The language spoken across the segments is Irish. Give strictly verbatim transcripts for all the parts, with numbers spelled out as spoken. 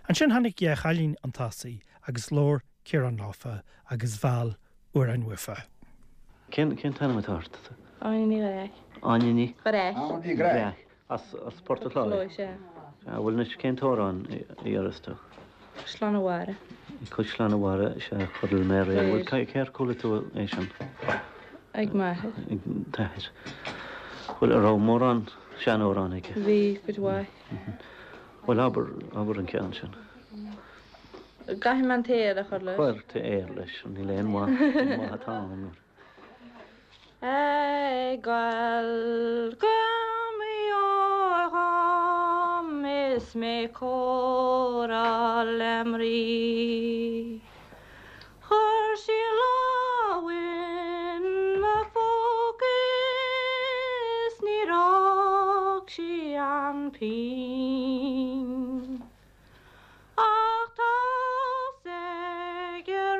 Ansin tháinig Dhá Chailín an Tosaigh agus labhair Ciarán leofa agus mheall amhráin uafa. Cén cén t-ainm atá ort? Áine Ní Ghráich. Áine Ní Ghráich. Ní Ghráich. As as Port an Chláir. Sé. Bhfuil anois cén t-amhrán a iarras tú? Caisleán a' Bharraigh. Caisleán a' Bharraigh sé chodail mé aréir. Bhfuil cér chuala tú é sin Ag m'athair. ag t'athair. Bhfuil a raibh mórán seanamhrán aige. Bhí cuid mhaith. Bhfuil abair abair an ceann sin. Caithfidh mé an t-aer a chur leis. Cuir t-aer leis níl aon mhaith maith atá ann. Ag gabháil go dhom is mé comhrá le mnaoi. Chuir sí lámh in mo phóca is níor fhág sí an phingin. Ach tá's ag an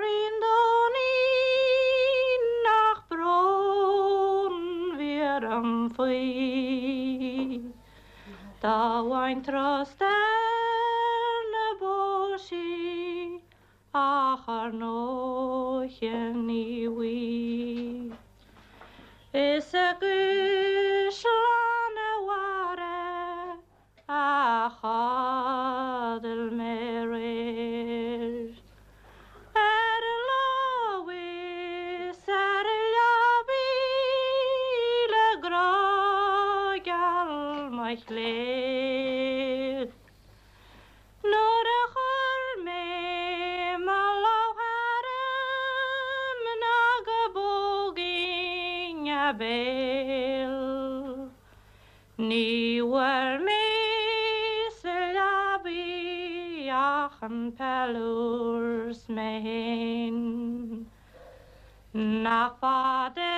Ríondáinín nach brón bhí orm faoi. Dá bhfaighinn turas ar na bó sí ach ar ndóiche ní bhfaighinn. Is i gCaisleán a' Bharraigh a chodail mé aréir. Ar a lámh is ar a leabaidh le grá geal mo chléir. Nuair a chuir mé mo lámh tharam ná go bpógfainn a béal. Ní bhfuair mé sa leabaidh ach an peiliúr 's mé féin. Nach fada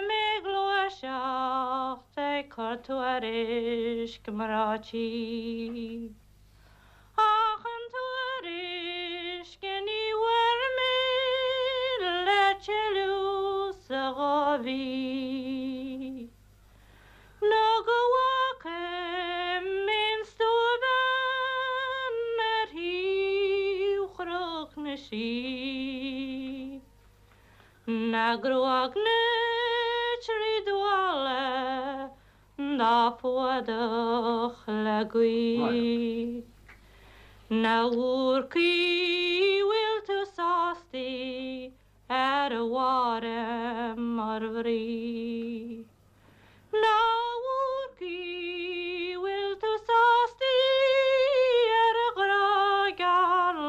mé gluaiseacht ag cur tuairisc mná tí. Ach an tuairisc ní bhfuair mé le tuilleadh sa dhá mhí. Nó go bhfaca mé an stuabhean ar thaobh Chnoc na Sí. Na gruag na trí duala dá fuadach le gaoith. Na Bhúrcaí bhfuil tú sásta ar a bharra mar bhrí. Na Bhúrcaí bhfuil tú sásta ar a ghrá geal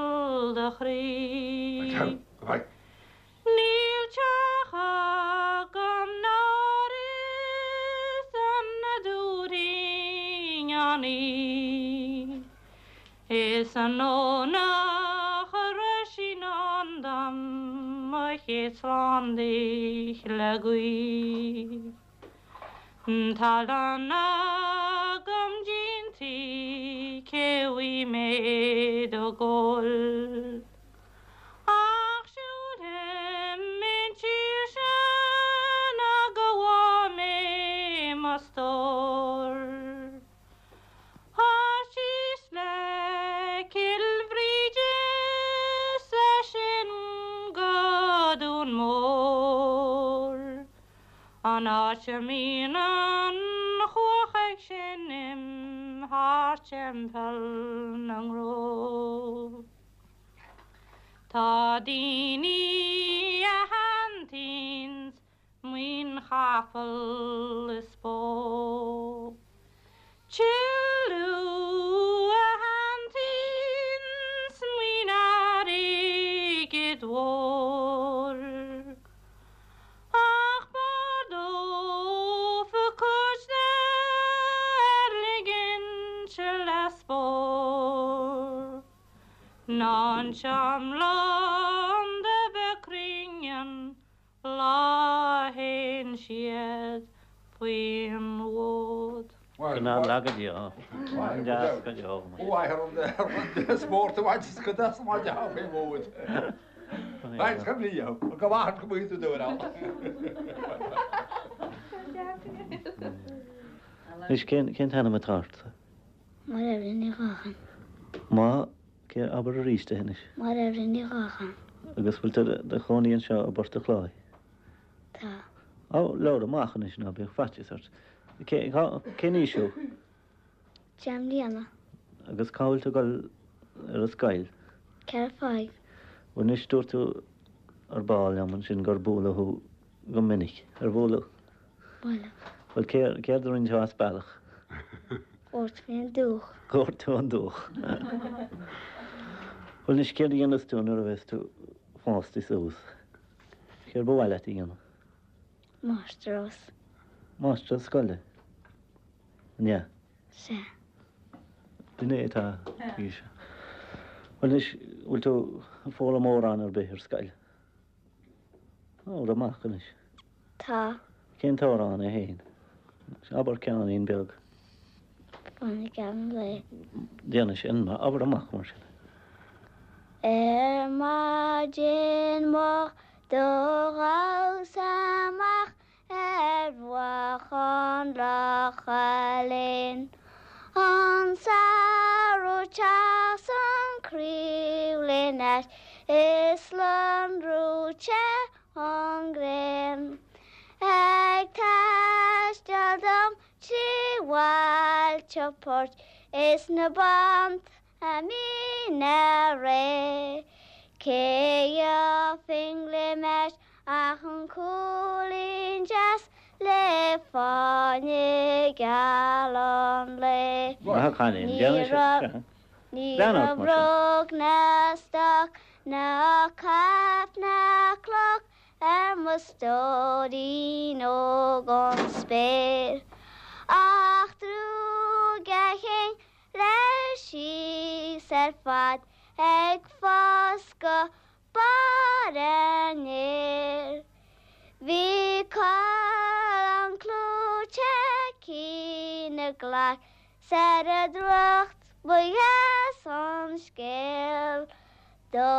do chroí. Níl teach agam ná is an na dúirín an í. Is an ónach a sin an dam mo chéad slán le gaoith. Tá lán agam dinti cé bhí mé do ggóil. Ach siúlfaidh mé an tír sin a gabhfaidh mé mo stór. Tá síos le Cill Bhríde 's as sin go Dún Mór. An áit a mbíonn an chuach ag seinm thar Teampall na nGró. Tá daoine a shantaíonns maoin chapall is bó. Tuilleadh a shantaíonns maoin airgid mhóir. Ach b'fhearr dófa cuid de a ligint le spór. Ná an seamlán de bheith cruinnean lá théann siad faoin bhfód. Ná lagad deas go deo. Spórt a bhaint go deas má de fé bhód. Leis go lí go bhhain go mú dúir á. Is cén cén t-ainm atá ort? Mar Eibhlín Ní Ghallchóir. Má cé abair arís é anois. Máire Eibhlín Ní Ghallchóir. Agus bhfuil tú i do chónaí anseo i bPort an Chláir. Tá. Ó, labhair amach anois ná bíodh faitíos ort. Cén aois thú? Deich mbliana. Agus cá bhfuil tú ag dul ar an scoil? Ceithre Fáil. Bhuel anois dúirt tú ar ball liom ansin gur bualadh thú go minic. Ar bualadh? Bualadh. Bhuel céard a rinne tú as bealach? Dhoirt mé an dúch. Dhoirt tú an dúch. Bhuel anois céard a dhéanfas tú nuair a bheas tú fásta suas? Céard ba mhaith leat a dhéanamh? Máistreás. Máistreás scoile? An ea? Sea. Duine atá aois. Bhuel anois bhfuil tú ag foghlaim amhrán ar bith ar scoil? Labhair amach anois. Tá. Cén t-amhrán é féin? Abair ceainnín beag. Fáinne geal an lae. Déanfaidh sin, abair amach mar sin. Ar maidin moch do ghabhas amach ar bhruach an locha linn. An samhradh teas an chraobh linn ait is lonrú te an ghrian. Ag taisteal dom trí bhailte poirt is na bánta míne réidh. Cé gheobhainn le m'ais ach an cúilín deas le fáinne geal an lae. Maith a chailín, Ní déanfaidh sé, raibh sea. Ní Lean ort raibh mar sin. bróg ná stoc ná caip ná cloch ar mo stóirín óg ón spéir. Ach drúg a chinn leis síos ar fad ag fás go barr an fhéir. Bhí coileán clúite aici 'na glac 's ar a drúcht ba dheas an scéal. Do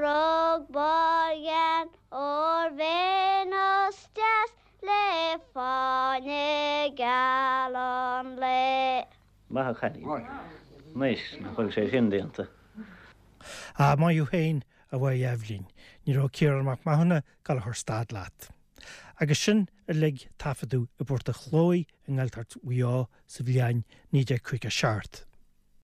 rug barr ghean ór Véineas deas le fáinne geal an lae. Maith a chailín. Anois, nach bhfuil sé sin déanta. Á, maith thú féin, a Mháire Eibhlín, ní raibh Ciarán Mac Mathúna ag gabháil a chur stad leat. Agus sin uilig taifeadadh i bPort an Chlóidh i nGaeltacht Mhaigh Eo sa bhliain naoi déag caoga seacht.